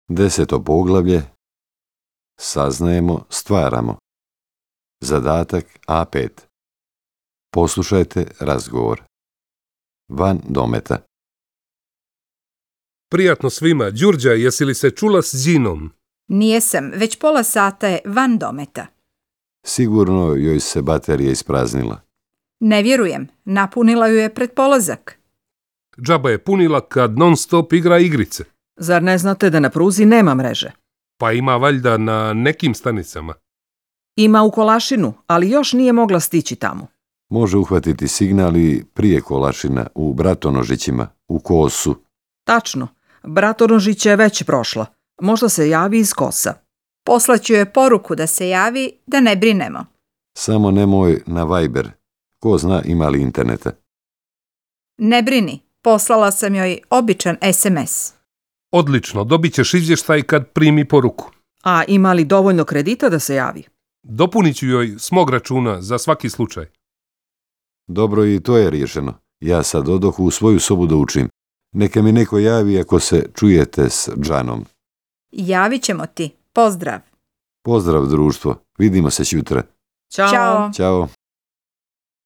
10. poglavlje. Saznajemo, stvaramo. Zadatak A5. Poslušajte razgovor. Van dometa. Prijatno svima. Đurđa, jesi li se čula s Đinom? Nijesam, već pola sata je van dometa. Sigurno joj se baterija ispraznila. Ne vjerujem, napunila ju je pred polazak. Džaba je punila kad non stop igra igrice. Zar ne znate da na pruzi nema mreže? Pa ima valjda na nekim stanicama. Ima u Kolašinu, ali još nije mogla stići tamo. Može uhvatiti signal i prije Kolašina, u Bratonožićima, u Kosu. Tačno, Bratonožić je već prošla. Možda se javi iz Kosa. Poslaću joj poruku da se javi, da ne brinemo. Samo nemoj na Viber. Ko zna ima li interneta. Ne brini, poslala sam joj običan SMS. Odlično, dobit ćeš izvještaj kad primi poruku. A ima li dovoljno kredita da se javi? Dopunit ću joj s mog računa za svaki slučaj. Dobro, i to je riješeno. Ja sad odoh u svoju sobu da učim. Neka mi neko javi ako se čujete s Džanom. Javit ćemo ti. Pozdrav. Pozdrav društvo. Vidimo se sutra. Ćao. Ćao. Ćao.